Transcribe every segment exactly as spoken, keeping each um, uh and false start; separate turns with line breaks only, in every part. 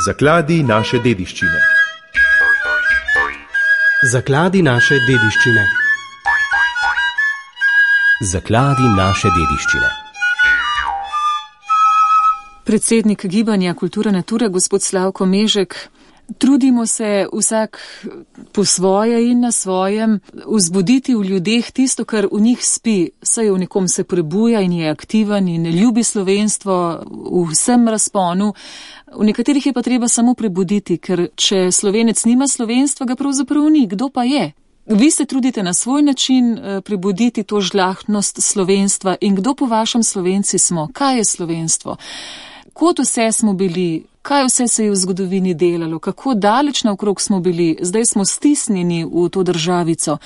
Zakladi naše dediščine.
Zakladi naše dediščine.
Zakladi naše dediščine.
Predsednik Gibanja Kultura Natura, gospod Slavko Mežek, trudimo se vsak po svoje in na svojem vzbuditi v ljudeh tisto, kar v njih spi, saj v nekom se prebuja in je aktiven in ljubi slovenstvo v vsem razponu. V nekaterih je pa treba samo prebuditi, ker če Slovenec nima slovenstva, ga pravzaprav ni. Kdo pa je? Vi se trudite na svoj način prebuditi to žlahtnost slovenstva in kdo po vašem Slovenci smo? Kaj je slovenstvo? Kod vse smo bili? Kaj vse se je v zgodovini delalo? Kako daleč naokrog smo bili? Zdaj smo stisnjeni v to državico.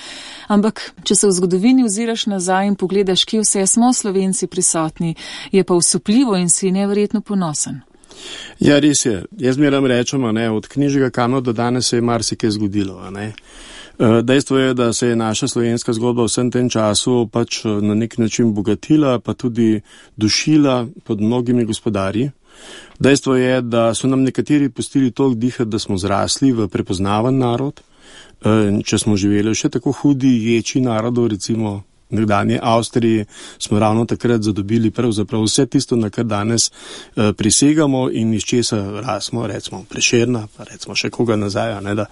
Ampak, če se v zgodovini oziraš nazaj in pogledaš, kje vse smo Slovenci prisotni, je pa usupljivo in si neverjetno ponosen.
Ja, res je. Jaz meram rečem, ne, od Knežjega kamna do danes se je marsikaj zgodilo. Ne. Dejstvo je, da se je naša slovenska zgodba v vsem tem času pač na nek način bogatila, pa tudi dušila pod mnogimi gospodarji. Dejstvo je, da so nam nekateri pustili toliko dihati, da smo zrasli v prepoznaven narod. Če smo živeli v še tako hudi ječi narodov, recimo nekdanje Avstriji, smo ravno takrat zadobili pravzaprav vse tisto, na kar danes prisegamo in iz česa rasmo, recimo Prešerna, pa recimo še koga nazaj. Ne, da.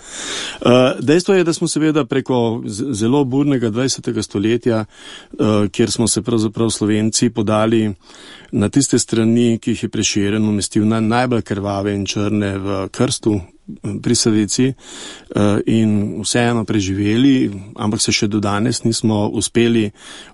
Dejstvo je, da smo seveda preko zelo burnega dvajsetega stoletja, kjer smo se pravzaprav Slovenci podali na tiste strani, ki jih je Prešeren umestil na najbolj krvave in črne v krstu pri Savici in vseeno preživeli, ampak se še do danes nismo uspeli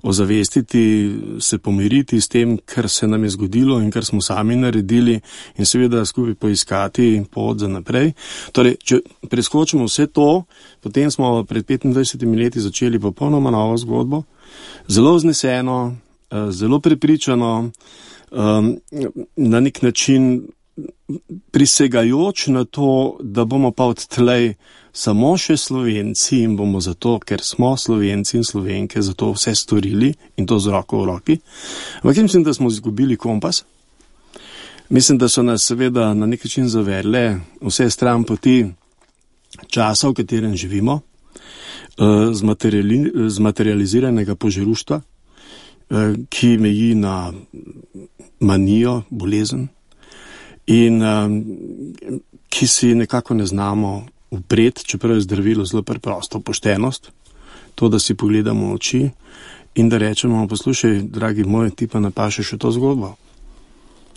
ozavestiti, se pomiriti s tem, kar se nam je zgodilo in kar smo sami naredili in seveda skupaj poiskati pot za naprej. Torej, če preskočimo vse to, potem smo pred petindvajsetimi leti začeli popolnoma novo zgodbo, zelo vzneseno, zelo prepričano, na nek način prisegajoč na to, da bomo pa odtlej samo še Slovenci in bomo zato, ker smo Slovenci in Slovenke, zato vse storili in to z roko v roki. Ampak mislim, da smo izgubili kompas. Mislim, da so nas seveda na nek način zavedle vse stran poti časa, v katerem živimo, zmaterializiranega požeruštva, ki meji na manijo, bolezen in um, ki si nekako ne znamo upreti, čeprav je zdravilo zelo preprosto, poštenost, to, da si pogledamo v oči in da rečemo, poslušaj, dragi moj, ti pa napašeš v to zgodbo.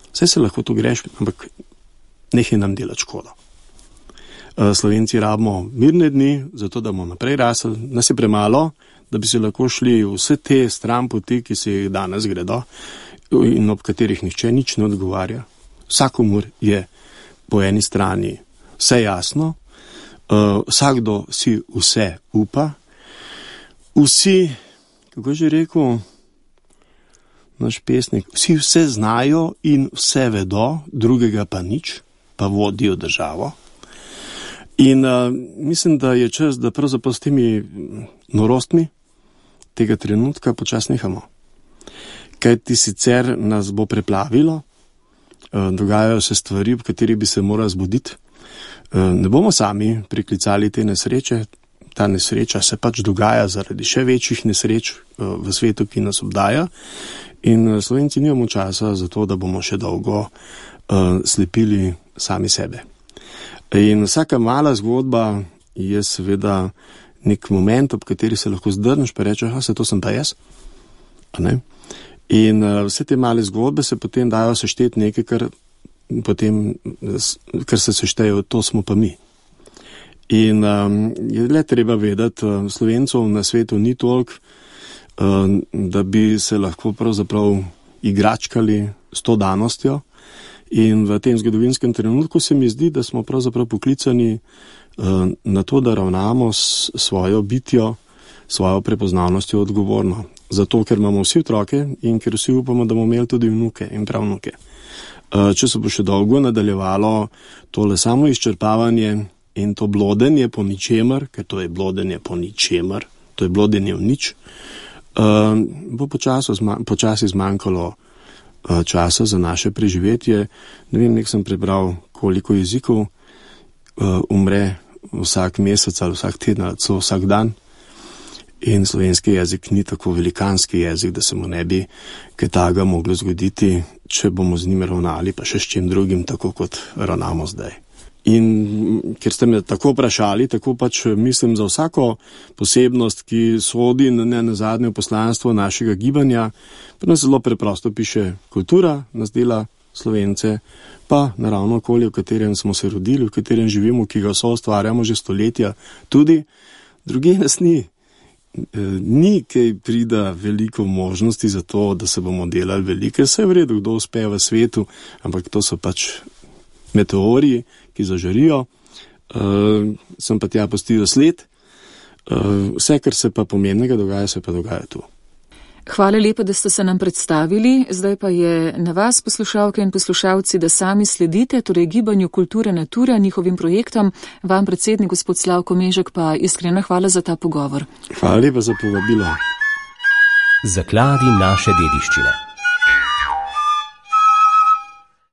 Saj se lahko to greš, ampak nehaj nam delati škodo. Slovenci rabimo mirne dni, zato da bomo naprej rasli, nas je premalo, da bi se lahko šli vse te stran poti, ki se jih danes gredo in ob katerih nihče nič ne odgovarja. Vsakomur je po eni strani vse jasno, uh, vsakdo si vse upa, vsi, kako že rekel naš pesnik, vsi vse znajo in vse vedo, drugega pa nič, pa vodijo državo. In uh, mislim, da je čas, da pravzaprav s temi norostmi tega trenutka počas nehamo. Kaj ti sicer nas bo preplavilo, dogajajo se stvari, v katerih bi se morali zbuditi. Ne bomo sami priklicali te nesreče, ta nesreča se pač dogaja zaradi še večjih nesreč v svetu, ki nas obdaja in Slovenci nimamo časa za to, da bomo še dolgo slepili sami sebe. In vsaka mala zgodba je seveda nek moment, ob kateri se lahko zdrneš pa rečeš, a se to sem pa jaz. A ne? In uh, vse te male zgodbe se potem dajo sešteti nekaj, kar, potem, kar se seštejo, to smo pa mi. In um, je le treba vedeti, uh, Slovencov na svetu ni toliko, uh, da bi se lahko pravzaprav igračkali s to danostjo. In v tem zgodovinskem trenutku se mi zdi, da smo pravzaprav poklicani uh, na to, da ravnamo s svojo bitjo, svojo prepoznavnostjo odgovorno. Zato, ker imamo vsi otroke in ker vsi upamo, da bomo imeli tudi vnuke in pravnuke. Če se bo še dolgo nadaljevalo tole samo izčrpavanje in to blodenje po ničemer, ker to je blodenje po ničemer, to je blodenje v nič, bo počasi zmanjkalo časa za naše preživetje. Ne vem, nek sem prebral koliko jezikov uh, umre vsak mesec ali vsak teden ali celo vsak dan. In slovenski jezik ni tako velikanski jezik, da se mu ne bi kaj takega moglo zgoditi, če bomo z njim ravnali, pa še s čim drugim, tako kot ravnamo zdaj. In ker ste me tako vprašali, tako pač mislim za vsako posebnost, ki sodi ne na zadnje poslanstvo našega gibanja, pa nas zelo preprosto piše kultura, nas dela Slovence, pa naravno okolje, v katerem smo se rodili, v katerem živimo, ki ga so ustvarjamo že stoletja, tudi druge nas ni. Ni kaj prida veliko možnosti za to, da se bomo delali velike, vse v redu, kdo uspe v svetu, ampak to so pač meteoriji, ki zažarijo, uh, sem pa tja pustil sled, uh, vse, kar se pa pomembnega dogaja, se pa dogaja tu.
Hvala lepa, da ste se nam predstavili, zdaj pa je na vas, poslušalke in poslušalci, da sami sledite, torej gibanju Kultura Natura, njihovim projektom, vam predsednik gospod Slavko Mežek pa iskrena hvala za ta pogovor.
Hvala lepa za povabilo.
Zakladi naše dediščine.